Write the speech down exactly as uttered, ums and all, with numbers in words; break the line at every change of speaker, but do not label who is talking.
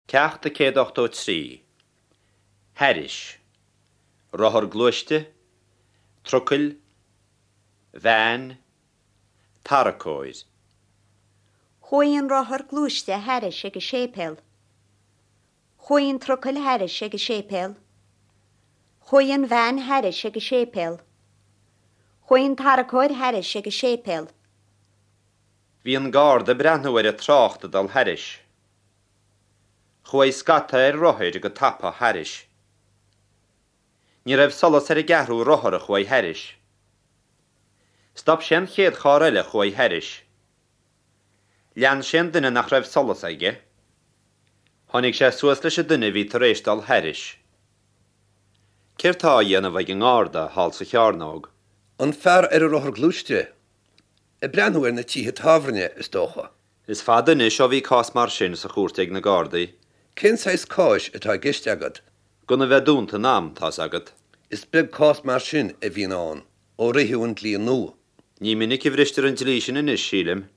Ceacht a céad ochtó trí. Thairis. Rothar gluaiste, trucail, veain, tarracóir.
Chuaigh an rothar gluaiste thairis ag an séipéal. Chuaigh an trucail thairis ag an séipéal. Chuaigh an veain thairis ag an séipéal. Chuaigh an tarracóir thairis ag an séipéal.
Bhí an garda ag breathnú ar an trácht ag dul thairis. Chuaigh scata ar rothair go tapa thairis. Ní raibh solas ar an gceathrú rothar a chuaigh thairis. Stop sé an chéad charr eile a chuaigh thairis. Lean sé an duine nach raibh solas aige. Tháinig sé suas leis an duine a bhí tar éis dul thairis. Céard tá á dhéanamh ag an ngarda thall sa chearnóg?
An fear ar an rothar gluaiste, ag breathnú ar na tithe tábhairne, is dócha.
Is fada anois ó bhí cás mar sin sa chúirt ag na Gardaí.
Cén saghas cáis atá i gceist agat?
Gan a bheith dúnta in am, tá's agat.
Is beag cás mar sin a bhíonn ann ó ritheadh an dlí nua.
Ní minic a bhristear an dlí sin anois, sílim.